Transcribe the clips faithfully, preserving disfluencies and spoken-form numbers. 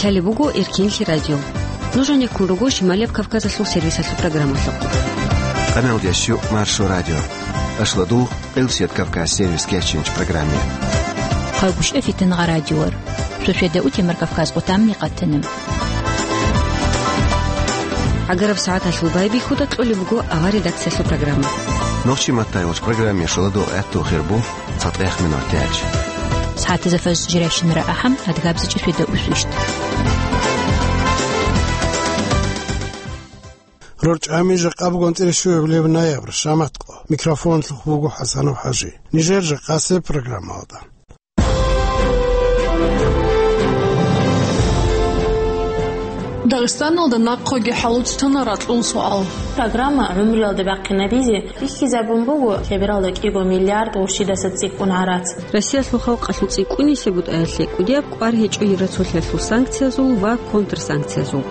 Лъалеб буго Эркенлъи радио. Нуж гьанеккун руго Шималияб Кавказалъул сервисалъул программалъухъ. Къаналдияс щук Маршо радио. Ашлодугъ Къилсият Кавказ сервис кечинч программе. Хъалгушев Фитнагъа радиор. Суседа утемар Кавказ къутамни къатанам. ГӀагараб сагӀаталъул байбихьуда кьолеб буго авар редакциялъул программа. Нохчи маттай вач программе шоладо гӀатту хирбу. ЦатӀех минут яч. СагӀатазда фаз жирайщинара ахӀам, адгабзичӀи светда усвищ. РорчӀами жакъа бугонцӀила щуяб леб ноябрь, шаматкъо. Микрофонлъухъ буго ХӀасанов ХӀажи. Нижер жакъасеб программалда. Дагъистаналда нахъеги хӀалуцтана ракьул суал. Программа гӀумруялда бахъинабизе бихьизабун буго лъебералда кӀиго миллиард гъурщидаса цӀикӀкӀун гӀарац. Россиялъул халкъалъул цӀикӀкӀунисеб бутӀаялъе кӀудияб кӀвар гьечӀо Евроцолъиялъул санкциязул ва контрсанкциязул.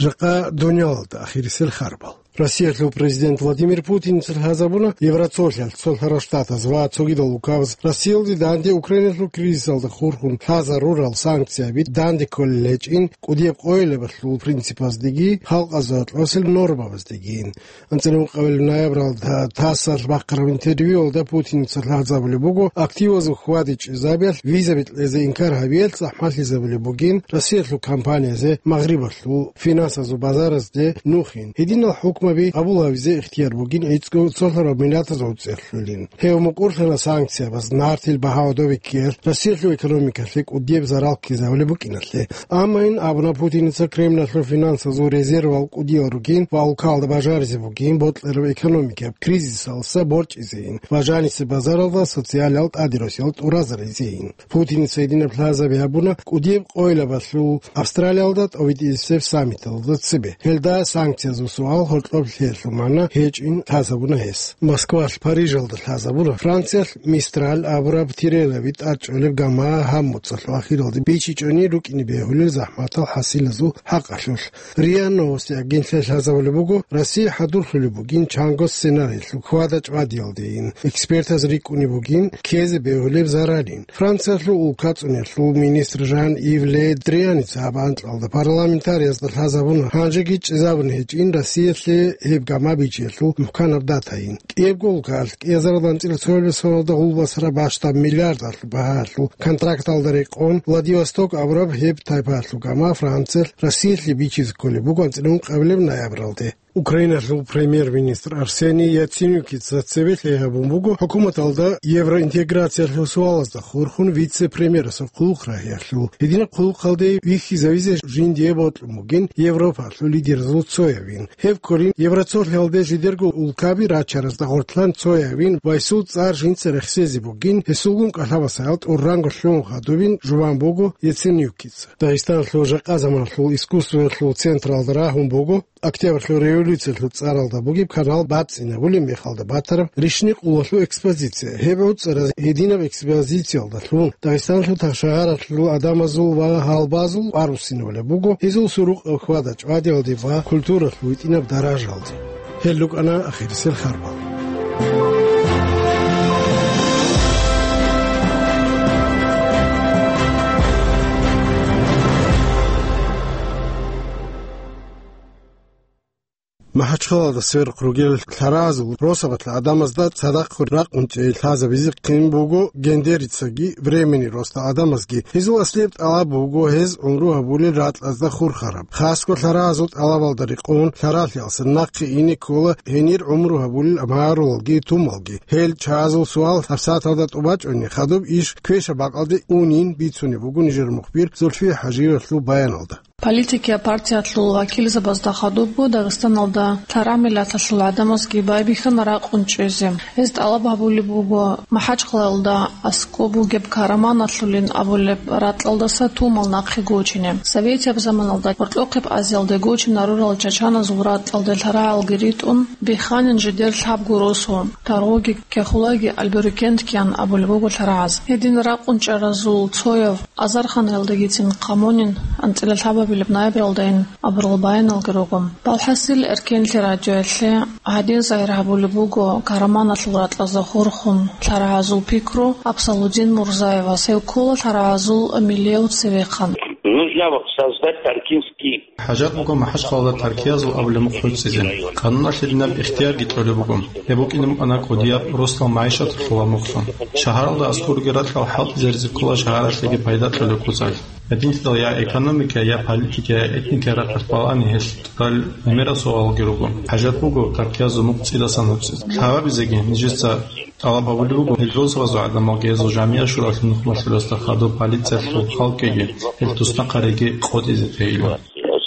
Жакъа дунялалда ахирисел харбал. Россиялъул президент Владимир Путиница лъазабуна Евроцолъиялъ, Цолъарал Штатаз ва цогидал улкабаз Россиялде данде Украиналъул кризисалда хурхун лъазарурал санкцияби данде кколел гьечӀин, кӀудияб къойилабалъул принципаздеги халкъазда кьосел нормабаздегин. АнцӀила ункъабилеб ноябралда ТАССалъ бахъараб интервьюялда Путиница лъазабулеб буго, активазул хьвади-чӀезабиялъ визаби кьезе инкар гьабиялъ захӀмалъизабулеб бугин Россиялъул компаниязе Магърибалъул финансазул базаразде нухин. Гьединал хӀукмаби къабул гьабизе ихтияр бугин гӀицӀго цолъараб миллатаз гӀуцӀерлъулин. Гьев мукӀурлъана санкциябаз нартил багьа гӀодобиккиялъ Россиялъул экономикалъе кӀудияб зарал ккезавулеб букӀиналъе. Амма ин абуна Путиница Кремлалъул финансазул резервал кӀудиял ругин ва улкалда бажаризе бугин бокьараб экономикаб кризисалдаса борчӀизейин ва жанисе базаралда социалиял тӀадиросиялда тӀуразаризейин. Путиница гьединаб лъазаби гьабуна кӀудияб къойилабалъул Австралиялда тӀовитӀисеб саммиталда цебе. Гьелда санкциязул суал гьоркьоб лъеялъул магӀна гьечӀин лъазабуна гьес. Москвалъ Парижалда лъазабуна Франциялъ Мистраль абураб тирелаби тӀадчӀолеб гама гьаб моцӀалъ ахиралде бичичӀони рукӀине бегьулел захӀматал хӀасилазул хӀакъалъулъ. РИА Новости агентли лъазабулеб буго, Россия хӀадурлъулеб бугин чанго сценариялъул хьвада-чӀвадиялдейин. Экспертаз рикӀкӀунеб бугин ккезе бегьулеб заралин. Франциялъул улкацӀунелъул министр Жан-Ив Ле Дрианица гьаб анкьалда парламентариязда лъазабуна, гьанжеги чӀезабун гьечӀин Россиялъе гьеб гама бичиялъул мухӀканаб датайин. КӀиябго улкалъ кӀиазаралда анцӀила цоябилеб соналда гъулбасараб бащдаб миллиардалъ багьалъул контракталда рекъон Владивосток абураб гьеб тайпаялъул гама Франциялъ Россиялъе бичизе кколеб буго анцӀила ункъабилеб ноябралде. Украиналъул премьер-министр Арсений Яценюкица цебе лъай гьабун буго хӀукуматалда евроинтеграциялъул суалазда хурхун вице-премьерасул хъулухъ рагьиялъул. Гьединаб хъулухъалде вихьизавизе жиндие бокьун бугин Европалъул лидерзул цоявин. Гьеб кколин Евроцолъиялде жидерго улкаби рачаразда гъортлъан цоявин ва гьесул цӀар жинца рехсезе бугин, гьесулгун кӀалъабасаял тӀуранго лъугӀун хадубин жубан буго Яценюкица. Дагъистаналъул жакъа заманалъул искусствоялъул централда рагьун буго Октябрьлъул революциялъул цӀаралда бугеб канал бацӀцӀинабулеб мехалда батараб рищни къулалъул экспозиция. Гьеб гӀуцӀараз гьединаб экспозициялдалъун Дагъистаналъул тахшагьаралъул гӀадамазул ва гьалбазул арусинабулеб буго, гьезул сурукъаб хьвада-чӀвадиялде ва культуралъул гьитӀинаб даражалде. Гьел рукӀана ахирисел харбал. МахӀачхъалалда сверухъ ругел лъаразул росабалъ гӀадамазда цадахъ ракъун чӀей лъазабизе хъин буго Гендерицаги Временный Роста гӀадамазги. Гьезул аслияб тӀалаб буго гьез гӀумру гьабулел ракьазда хурхараб. Хасго лъаразул тӀалабалда рекъон лъаралъиялса нахъе ине ккола гьенир гӀумру гьабулел магӀарулалги тумалги. Гьел чагӀазул суал гьабсагӀаталда тӀубачӀони, хадуб иш квешаб бакӀалде унин бицунеб буго нижер мухбир Зульфия ХӀажиевалъул баяналда. Политикиял партиялъул вакилзабазда хадубго Дагъистаналда лъарагӀ миллаталъул гӀадамазги байбихьана ракъун чӀезе. Гьез тӀалаб гьабулеб буго МахӀачхъалаялда аскӀоб бугеб Караманалъулин абулеб ракьалдаса тумал нахъе гочине. Советияб заманалда Гьоркьохъеб Азиялде гочинарурал чачаназул ракьалде лъарагӀалги ритӀун, бихханин жидер лъабго росу, Таргъуги, Кехулаги, Альберукентгиян абулеб буго лъарагӀаз. Гьедин ракъун чӀаразул цояв Азарханаялдагицин хъамонин, анцӀила лъабаб Билеб ноябралдайин абурал баяналги руго. Балхасил, Эркенлъи радиоялъе гьадин загьир гьабулеб буго, Караманалъул ракьазда хурхун лъарагӀазул пикру Абсалудин Мурзаевас, гьев ккола лъарагӀазул миллияв цевехъан. Нужно создать таркинский. ХӀажат буго МахӀачхъалада таркиязул абулеб мухъ гӀуцӀизе. Къануналъ гьединаб ихтиярги кьолеб буго. Гьеб букӀине букӀана кӀудияб росдал магӀишаталъул мухълъун. Шагьаралда аскӀорги ракьал хӀалтӀизаризе ккола шагьаралъеги пайда кьолеб куцалъ. Гьединлъидал я экономика, я политика, я этника рахъалъ балани гьелъ тӀадал гӀемерал суалалги руго. ХӀажат буго таркиязул мухъ цӀидасан гьуцӀизе. Лъабабизеги нижеца тӀалаб гьабулеб буго, гьел росабазул гӀадамалги гьезул жамигӀат-шуралъул нухмалъурасда хадуб полициялъул халкъиги гьел туснахъариги къотӀизе тейилан.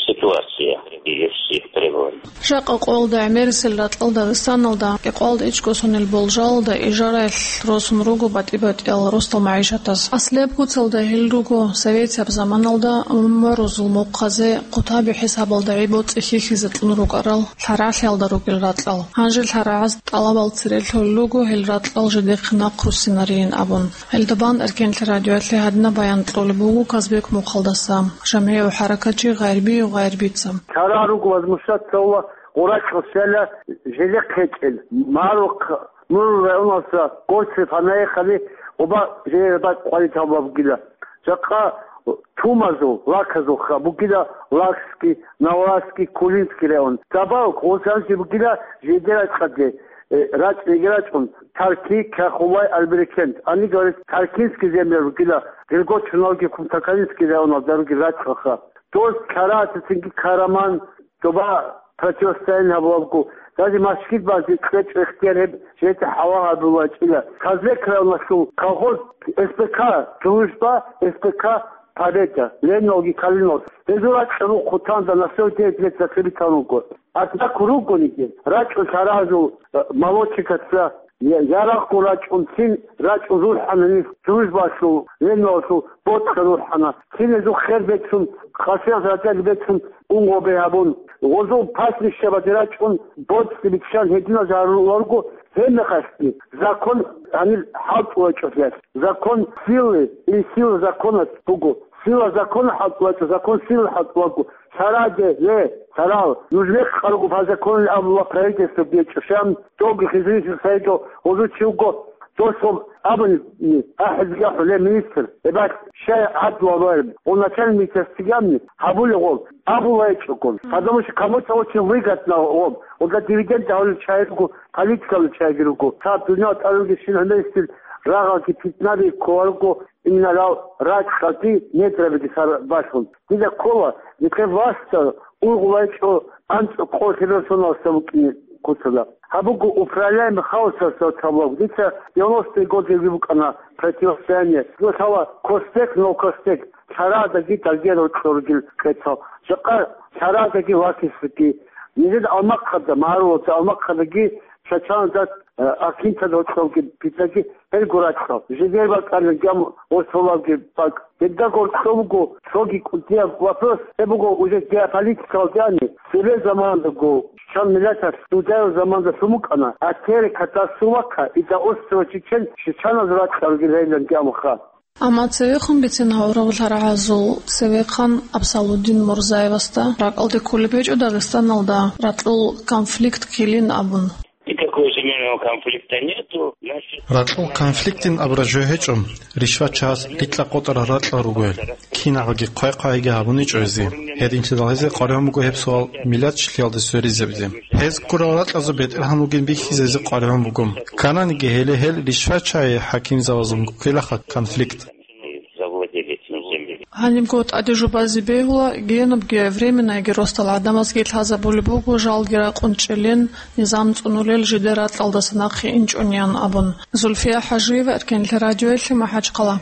Ситуация и все требования. Жакъа къоялда гӀемерисел ракьал Дагъистаналда кӀикъоялда ичӀго сонил болжалда ижараялъ росун руго батӀи-батӀиял росдал магӀишатаз. Аслияб куцалда гьел руго советияб заманалда мумарузул мухъазе хъутаби хӀисабалда гӀи-боцӀи хьихьизе кьун рукӀарал лъарагӀлъиялда ругел ракьал. Гьанже лъарагӀаз тӀалабал цере лъолел руго гьел ракьал жидехъе нахъ руссинарейин абун. Гьелда бан Эркенлъи радиоялъе гьадинаб баян кьолеб буго Казбек мухъалдаса, жамгӀияв хӀаракатчи Гъайрбиев Гъайрбица. Чара руго возмущаться гьула, гъуракьа щвела, желе хъечӀел. Марухъ, мур районалса гончи фанаехали, оба желе бакъ къваритал бабгила. Жакъа тумазул, лаказул ха бугила Лакский, Навалский, Кулинский район. Забавок, гъусанчи бугила жеде рачӀаде, э, рачӀ-, реге рачӀун, Тарки, Кахулай, Альберекент. Они говорят, Таркинский земля бугила, Григор Чуналги, Кумтакалинский районал даруги рачӀаха. Дос Карацицинги Караман, доба противостояние гьабулабго, даже машгид базе кьечӀо ихтияр гьеб жеде хӀалал гьабулачӀила. Казбек районалъул колхоз С П К «Дружба», С П К «Победа», Лениналги Калиновал. Гьезул ракьа рухъ хъутанда на сто девять лет закрепитан руго. Однако ругониги, рачӀун лъаразул, э, молодчикаца, я-, ярагъго рачӀун цин рачӀун рурхӀана нилъ, Дружбалъул, Лениналъул боцӀа рурхӀана. Цин гьезул хер бецун, къасиялъ радали бецун, ун гъобе гьабун, гъозул паснищабаде рачӀун, боцӀи биччан гьединал жагьуруларго, гьебмехалъги закон гьанир хӀалтӀулачӀолъиялъ. Закон силы или сила закона буго. Сила закона хӀалтӀулачӀо, закон силы хӀалтӀулаго. Сараде, ле, сарал, нуж мекъ къаргу по закону абула правительство бечӀо, шам, доги хизрисих сайго, гъозу чи вуго, Досул абуни, ахӀизги ахӀулеб министр, эбал щай гӀадлу абареб, гъов начальник цигамни гьабулев гъов, абулайчӀого, потому что кому-то очень выгодно гъов, гъода дивиденд гьавулел чагӀи руго, политикалал чагӀиги руго. Цаб дуниял тӀаруги щин гьумерисил рагъалги питнаби кколарго, иминарал ракьалги недрабиги сар башун. Дида ккола, нилъер властал ургъулайчӀо анцӀ къо хирурсоналса вукӀине куцала. Гьаб буго управляемый хаосалъ цалаб. Дица девяностые годы букӀана противостояние. Лъала Костек, Новокостек, лъарадаги даргел рокьоргил кьецал. Жакъа лъарадаги вакислъги. Нижед Алмахъада, Марулаца Алмахъадаги Чачанзат, э, Акинтад рокьорги питаги гьел гуракьал. Жидер бакӀана гьам ва цолабги бакӀ. Гьелда гьоркьоб буго цоги кӀудияб вопрос, гьеб буго уже геополитикалдани, цебе замандаго, чан миллаталъ дудаев заманда лъумукӀана, а тере катасулака, и да острова Чечен, чечаназ ракьалги лейлан гьамха. Амма цевехун бицин гьавурав лъарагӀазул цевехъан Абсалудин Мурзаевасда ракӀалде кколеб гьечӀо Дагъистаналда ракьул конфликт ккелин абун. Никакого земельного конфликта нету. Значит, ракьул конфликтин абураб жо гьечӀо, ришвачагьаз рикьа-къотӀарал ракьал ругел, киналги хъвай-хъвайги гьабуничӀо гьезие. Гьединлъидал гьезие къваригӀун буго гьеб суал миллатчилъиялде сверизабизе. Гьез ккурал ракьазул бетӀергьан вугин бихьизе гьезие къваригӀун буго. Ккананги гьеле гьел ришвачагьи хӀакимзабазул ккелаха конфликт. Завладели этим землей. Гьанибго тӀаде жубазе бегьула, гьенибги временайги росдал гӀадамазги лъазабулеб буго жалги ракъун чӀелин, низам цӀунулел жидер ракьалдаса нахъе инчӀунеян абун. Зульфия ХӀажиева, Эркенлъи радиоялъе, МахӀачхъала.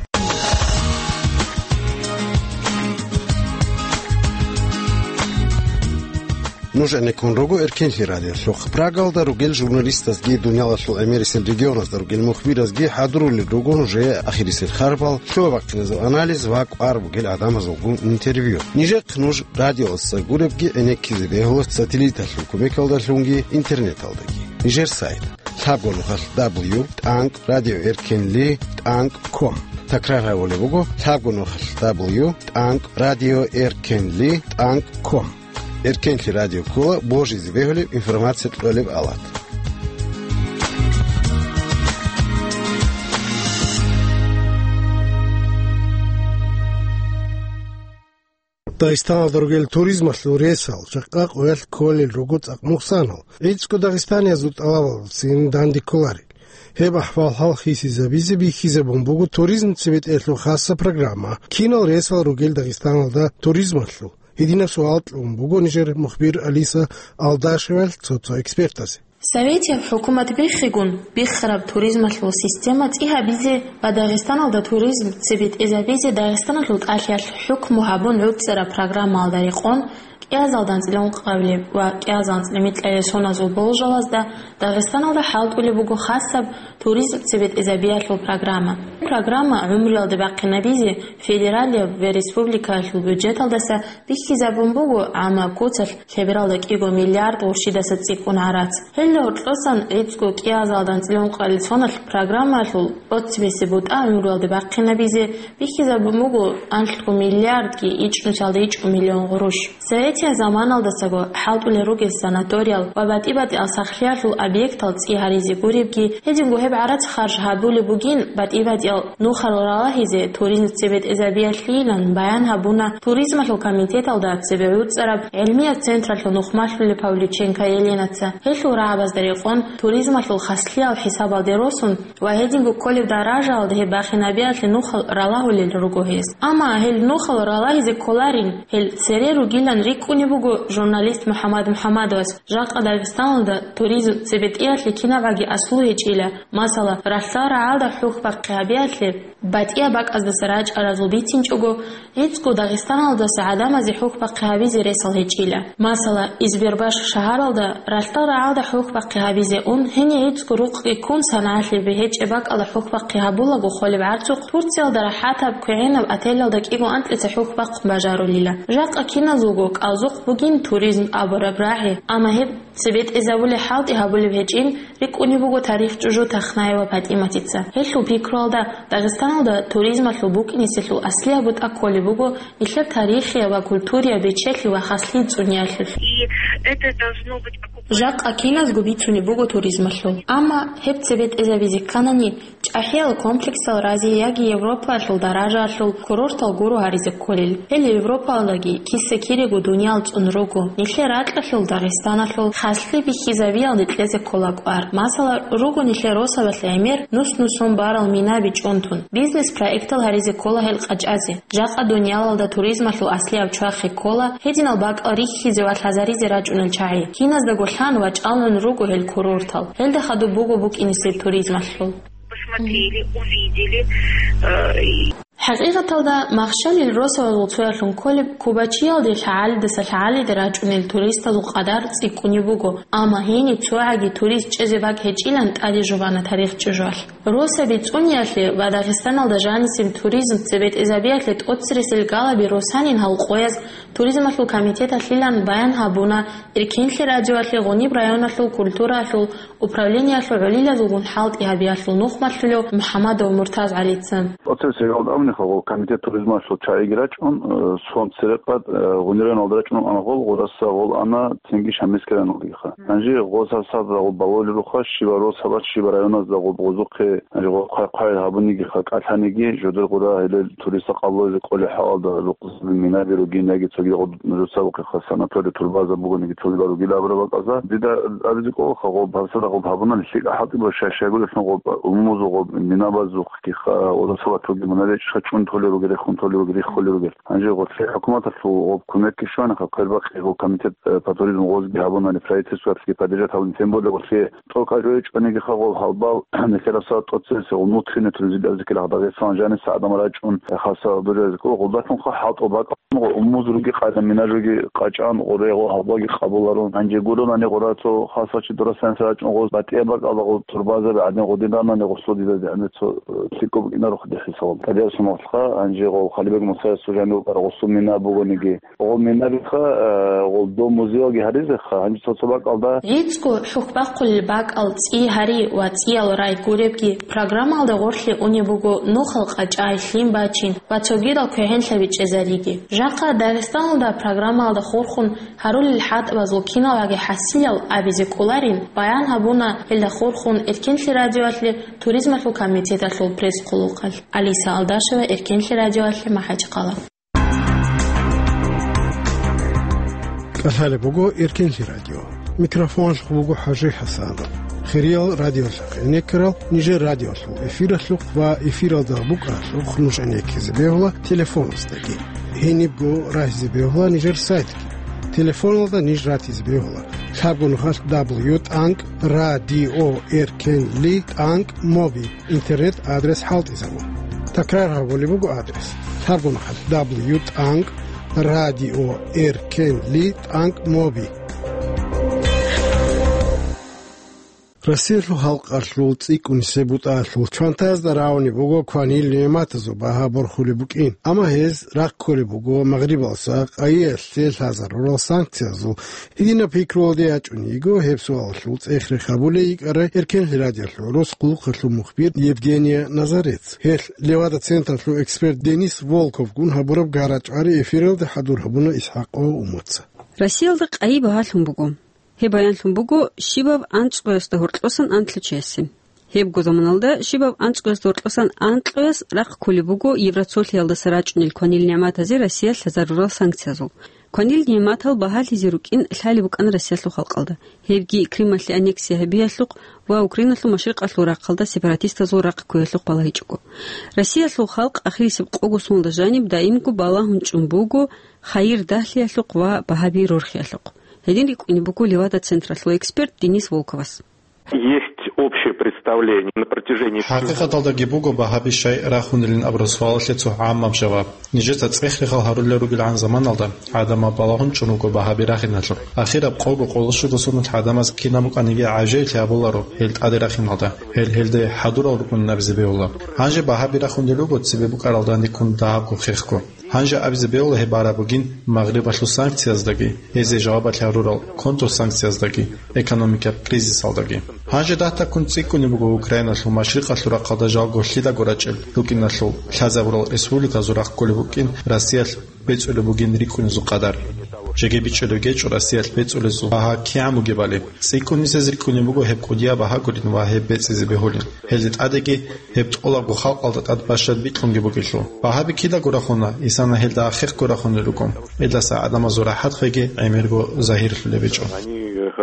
Нуж гӀенеккун руго Эркенлъи радиолъухъ. Прагалда ругел журналистазги, дуниялалъул гӀемерисел регионазда ругел мухбиразги хӀадурулел руго нужее ахирисел харбал, лъугьа-бахъиназул анализ ва кӀвар бугел гӀадамазулгун интервью. Нижехъ нуж радиоялдаса гуребги гӀенеккизе бегьула сателлиталъул кумекалдалъунги интернеталдаги. Нижер сайт: лъабго нухалъ дабл ю тӀанкӀ радио эркенли тӀанкӀ ком. Такрар гьабулеб буго лъабго нухалъ: дабл ю тӀанкӀ радио эркенли тӀанкӀ ком. Эркенлъи радио ккола божизе бегьулеб информация кьолеб алат. Дагъистаналда ругел туризмалъул ресал, жакъа къоялъ кколел руго цӀакъ нукъсанал, гӀицӀго дагъистаниязул тӀалабалдасин данде кколарел. Гьеб ахӀвал-хӀал хисизабизе бихьизабун буго туризм цебетӀеялъул хасаб программа, кинал ресал ругел Дагъистаналда туризмалъул. Гьединаб суал кьун буго нижер мухбир Алиса Алдашевалъ цо-цо экспертазе. Советияб хӀукумат биххигун, биххараб туризмалъул система цӀи гьабизе ва Дагъистаналда туризм цебетӀезабизе Дагъистаналъул тӀалъиялъ хӀукму гьабун гӀуцӀараб программаялда рекъон, кӀиазал данцӀила ункъабилеб ва кӀиазал анцӀила микьабилеб соназул болжалазда Дагъистаналда хӀалтӀулеб буго хасаб туризм цебетӀезабиялъул программа. Программа гӀумруялде бахъинабизе федералияб ва республикаялъул бюджеталдаса бихьизабун буго, амма куцалъ лъебералда кӀиго миллиард гъурщидаса цӀикӀкӀун гӀарац. Гьелда гьоркьосан гӀицӀго кӀиазал данцӀила ункъабилеб соналъ программаялъул тӀоцебесеб бутӀа гӀумруялде бахъинабизе бихьизабун буго анлъго миллиардги ичӀнусиялда ичӀго миллион гъурущ. Советияб заманалдасаго хӀалтӀулел ругел санаториял ва батӀи-батӀиял сахлъиялъул объектал цӀи гьаризе гуребги, гьединго гьеб гӀарац харж гьабулеб бугин батӀи-батӀиял нухал ралагьизе туризм цебетӀезабиялъийилан баян гьабуна туризмалъул комитеталда цебе гӀуцӀараб гӀилмияб централъул нухмалъулеб Павлюченко Еленаца. Гьелъул рагӀабазда рекъон туризмалъул хаслъиял хӀисабалде росун ва гьединго кколеб даражаялда гьеб бахинабиялъе нухал ралагьулел руго гьез. Амма гьел нухал ралагьизе кколарин, гьел цере ругилан рикӀкӀунеб буго журналист МухӀаммад МухӀаммадовас. Жакъа Дагъистаналда туризм цебетӀеялъе кинабгӀаги аслу гьечӀила, масала, ралъдал рагӀалда хӀухьбахъи гьабиялъе, батӀияб бакӀаздаса рачӀаразул бицинчӀого, гӀицӀго Дагъистаналдаса гӀадамазе хӀухьбахъи гьабизе ресал гьечӀила. Масала, Избербаш шагьаралда ралъдал рагӀалда хӀухьбахъи гьабизе ун, гьенир гӀицӀго рукъги ккун, санагӀалъи бегьечӀеб бакӀалда хӀухьбахъи гьабулаго холеб гӀарцухъ Турциялда рахӀатаб квегӀинаб отелалда кӀиго анкьица хӀухьбахъун бажарулила. Жакъа киназулго кӀалзухъ бугин туризм абураб рагӀи, амма гьеб цебетӀезабулеб хӀалтӀи гьабулеб гьечӀин, рикӀкӀунеб буго тарих чӀужу Тахнаева ПатӀиматица. Гьелъул пикруялда, Дагъистаналда туризмалъул букӀинеселъул аслияб бутӀа кколеб буго нилъер тарихияб ва культурияб бечелъи ва хаслъи цӀуниялъулъ. И это должно быть оккупа- Жакъа киназго бицунеб буго туризмалъул. Амма гьеб цебетӀезабизе кканани, ЧӀахӀиял комплексал рази яги Европаялъул даражаялъул курортал гуро гьаризе кколел. Гьел Европаялдаги, киса-кирего дуниял цӀун руго. Нилъер ракьалъул Дагъистаналъул хаслъи бихьизабиялде кьезе ккола кӀвар. Масала, руго нилъер росабалъ гӀемер нус-нусун барал минаби чӀунтун. Бизнес-проектал гьаризе ккола гьел къачӀазе. Жакъа дуниялалда туризмалъул аслияб чвахи ккола гьединал бакӀал рихьизе ва лъазаризе рачӀунел чагӀи. Киназдаго лъан ва чӀалгӀун руго гьел курортал. Гьелда хадуб буго букӀинесеб туризмалъул. Посмотрели, увидели, э, и ХӀакъикъаталда, махщалил росабазул цоялъун кколеб Кубачиялде лъагӀалидаса лъагӀалиде рачӀунел туристазул къадар цӀикӀкӀунеб буго, амма гьениб цогӀаги турист чӀезе бакӀ гьечӀилан тӀаде жубана тарих чӀужуялъ. Росаби цӀуниялъе ва Дагъистаналда жанисеб туризм цебетӀезабиялъе тӀоцересел галаби росанин гьал къояз туризмалъул комитеталъилан баян гьабуна Эркенлъи радиоялъе Гъуниб районалъул культураялъул управлениялъул гӀолилазулгун хӀалтӀи гьабиялъул нухмалъулев МухӀамадов МуртазгӀалица. Оцеб сегъалда абунихъа, гъо, комитет туризмалъул чагӀиги рачӀун, э, сон церекъад, э, Гъунирайоналда рачӀун ана гъол, гъураса гъол ана цинги Шамилскиранлгиха. Гьанже гъо сарсазда гъо балолебуха, щибаб росабаз, щибаб районазда гъо гъозухъе, гьанже гъо хъвай-хъвай гьабуниги, ха кӀалъаниги, жодор гъура гьелел туриста къаллозе кӀолеб хӀалалда рукъ минаби ругин яги цогидал нужеца бухъеха санатория турбаза бугониги цогидал ругила абураб бакӀазда. Дида абизе кӀолаха, гъоб гьабсагӀат гъоб гьабунани лъикӀа хӀалтӀи буго, щай-щайгурелъун гъоб умумузул гъоб минабазухъгиха, гъоб салатулги мунаричӀха чӀун толел ругел, рехун толел ругел, риххулел ругел. Гьанже гъорлъе хӀукуматалъул гъоб кумекги щвана, хъа квербахъи гъоб комитет, э, по туризму гъозги гьабунани, правительствоялъги поддержать гьабуни, тем более гъорлъе тӀокӀаб гьечӀонигиха гъоб гьалбал, нилъер гьабсагӀат тӀоцересел гъоб внутренний туризм дида абизе ккелаха, Дагъистан жаниса гӀадамал рачӀун, хасаб дурезго гъолдалъунха хӀалтӀул бакӀ Гъо умуз руги къайда, мина руги къачӀан, гъоре гъо гьабаги къабуларун. Гьанже гуронани гъора цо хасачи дурасанса рачӀун гъоз батӀияб бакӀалда гъо турбазаби гӀадин гъодин ранани гъослъо дида дигӀана цо, э, лъикӀаб букӀинаро хъуде хӀисабалда. ТӀадегӀсуна Алха, гьанже гъол Халибек Мусаевас жанив рукӀарал гъусул мина бугониги, гъол минабиха, э, гъол дом музеялги гьаризеха, гьанже цо-цо бакӀалда. ГӀицӀго хӀухьбахъулел бакӀал цӀи гьари ва цӀиял рай гуребги программалда гъорлъе унеб буго нухал къачӀай, лъим бачин ва цогидал квегӀенлъаби чӀезариги. Жакъа Дагъистаналда программалда хурхун гьарулел хӀалтӀабазул киналги хӀасилал абизе кӀоларин, баян гьабуна гьелда хурхун Эркенлъи радиоялъе туризмалъул комитеталъул пресс-хъулухъалъ. Алиса Алдашева, Эркенлъи радиоялъе, МахӀачхъала. КӀалъалеб буго Эркенлъи радио. Микрофоналъухъ буго ХӀажи ХӀасанов. Хириял радиолъухъ гӀенеккарал нижер радиолъул эфиралъухъ ва эфиралда букӀаралъухъ нуж гӀенеккизе бегьула телефоназдаги. Гьенибго рагьизе бегьула нижер сайтги. Телефоналда ниж ратизе бегьула: лъабгун хъалъ дабл ю тӀанкӀ радио эркенли тӀанкӀ моби интернет-адрес хӀалтӀизабун. Такрар гьабулеб буго адрес: лъабгун хъалъ дабл ю тӀанкӀ радио эркенли тӀанкӀ моби. Россиялъул халкъалъул цӀикӀкӀунисеб бутӀаялъул чвантазда равни буго кванил нигӀматазул багьа борхулеб букӀин, амма гьез рахъ кколеб буго Магърибалса къайиялъе лъазарурал санкциязул. Гьединаб пикруялде ячӀун йиго гьеб суалалъул цӀех-рех гьабулей йикӀарай Эркенлъи радиолъул рос хъулухъалъул мухбир Евгения Назарец. Гьелъ Левада-централъул эксперт Денис Волковгун гьабураб гара-чӀвари эфиралде хӀадур гьабуна ИсхӀакъ Умаца. Россиялда къайи багьалъун буго. Гьеб баянлъун буго щибаб анцӀгоясда гьоркьосан анлъачиясе. Гьебго заманалда щибаб анцӀгоясда гьоркьосан анкьояс рахъ кколеб буго Евроцолъиялдаса рачӀунел кванил нигӀматазе Россия лъазарурал санкциязул. Кванил нигӀматал багьалъизе рукӀин лъалеб букӀана Россиялъул халкъалда, гьебги Крымалъе аннексия гьабиялъухъ ва Украиналъул машрикъалъул рахъалда сепаратистазул рахъ кквеялъухъ балагьичӀого. Россиялъул халкъ ахирисеб къого соналда жаниб даимго балагьун чӀун буго хайир дагьлъиялъухъ ва багьаби рорхиялъухъ. Гьедин рикӀкӀунеб буго Левада-централъул эксперт Денис Волковас. Есть общее представление на протяжении всего. ХӀакъикъаталдаги буго багьаби щай рахунилин абураб суалалъе цо гӀаммаб жаваб. Нижеца цӀех-рехал гьарулел ругелгӀан заманалда гӀадамал балагьун чӀун руго багьаби рахиналъухъ. Ахираб къого-къоло щуго соналъ гӀадамаз кинаб букӀаниги гӀажаиблъи гьабуларо гьел тӀаде рахиналда, гьел гьелде хӀадурал рукӀунин абизе бегьула. Гьанже багьаби рахунел руго цебе букӀаралда никун дагьабго хехго. Гьанже абизе бегьула гьеб бараб бугин Магърибалъул санкцияздаги, гьезие жавабалъ гьарурал контрсанкцияздаги, экономикаб кризисалдаги. Гьанже дагьдаккун цӀикӀкӀунеб буго Украиналъул машрикъалъул рахъалда жалго лъидаго рачӀел рукӀиналъул лъазабурал республиказул рахъ кколеб букӀин Россиялъ бецӀулеб бугин рикӀкӀунезул къадар. Жеги бичӀчӀулеб гьечӀо Россиялъ бецӀулезул багьа кигӀан бугебали. ЦӀикӀкӀунисез рикӀкӀунеб буго гьеб кӀудияб багьа гурин ва гьеб бецӀизе бегьулин. Гьелде тӀадеги гьеб тӀолабго халкъалда тӀад бащад бикьунги бугелъул. Багьаби кидаго рахуна, исана гьелда хехго рахунел руго, гьелдаса гӀадамазул рахӀат хвеги гӀемерго загьирлъулеб гьечӀо. Они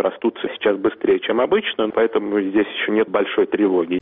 растут сейчас быстрее, чем обычно, поэтому здесь ещё нет большой тревоги.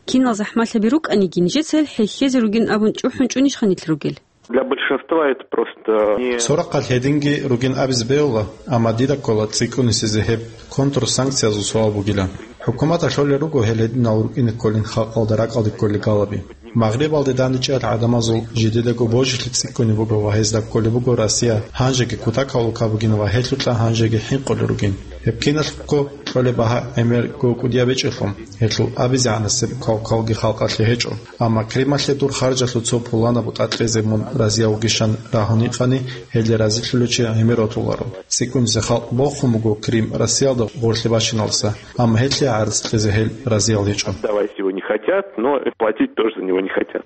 Кинал захӀмалъаби рукӀаниги, нижеца гьел хӀехьезе ругин абун чӀухӀун чӀунищха нилъ ругел? Для большинства это просто не... Цо рахъалъ гьединги ругин абизе бегьула, амма дида ккола цӀикӀкӀунисезе гьеб контрсанкциязул суал бугилан. ХӀукуматалъ лъолел руго гьел гьединал рукӀине кколин халкъалда ракӀалде кколел галаби. Магърибалде данде чӀеял гӀадамазул жидедаго божилъи цӀикӀкӀунеб буго ва гьезда кколеб буго Россия гьанжеги кутакаб улка бугин ва гьелъукьа гьанжеги хӀинкъулел ругин. Гьеб киналъухъго кьолеб багьа гӀемерго кӀудияб гьечӀелъул, гьелъул абизегӀанасеб квалквалги халкъалъе гьечӀо. Амма Крымалъе дур харжалъул цо пуланаб бутӀа кьезе мун разияв вугищан рагьун гьикъани, гьелде разилъулев чи гӀемер ратуларо. ЦӀикӀкӀунизе халкъ бохун буго Крым Россиялда гъорлъе бащиналдаса, амма гьелъие гӀарцӀ кьезе гьел разиял гьечӀо. Давать его не хотят, но платить тоже за него не хотят.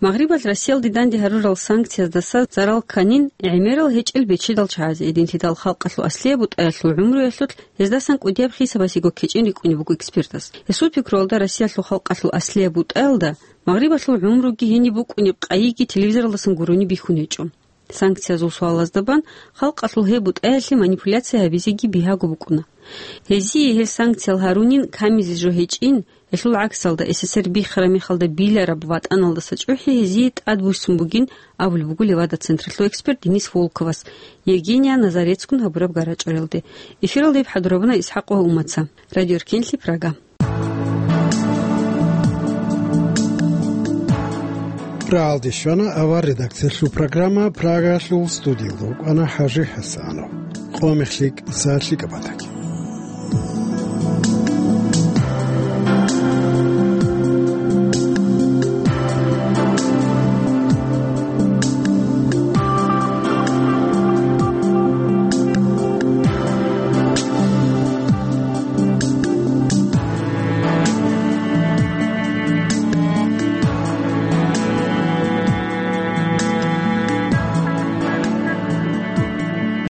Магърибалъ Россиялде данде гьарурал санкцияздаса зарал кканин гӀемерал гьечӀел бечедал чагӀазе, гьединлъидал халкъалъул аслияб бутӀаялъул гӀумруялъулъ гьездасан кӀудияб хисабасего ккечӀин рикӀкӀунеб буго экспертас. Гьесул пикруялда, Россиялъул халкъалъул аслияб бутӀаялда Магърибалъул гӀумруги гьениб букӀунеб къайиги телевизоралдасан гурони бихьун гьечӀо. Санкциязул суалазда бан халкъалъул гьеб бутӀаялъе манипуляция гьабизеги бигьаго букӀуна. Гьезие гьел санкциял гьарунин камизе жо гьечӀин, гьелъул гӀаксалда, СССР биххараб мехалда билараб ватӀаналдаса чӀухӀи гьезие тӀадбуссун бугин абулеб буго Левада-централъул эксперт Денис Волковас Евгения Назарецгун гьабураб гара-чӀвариялде. Эфиралда гьеб хӀадурабуна ИсхӀакъ ва Умаца. Радио Эркенлъи, Прага. Рагьалде щвана авар редакциялъул программа, Прагалъул студиялда вукӀана ХӀажи ХӀасанов. Къо-мех лъикӀ, сагӀат лъикӀаб батаги.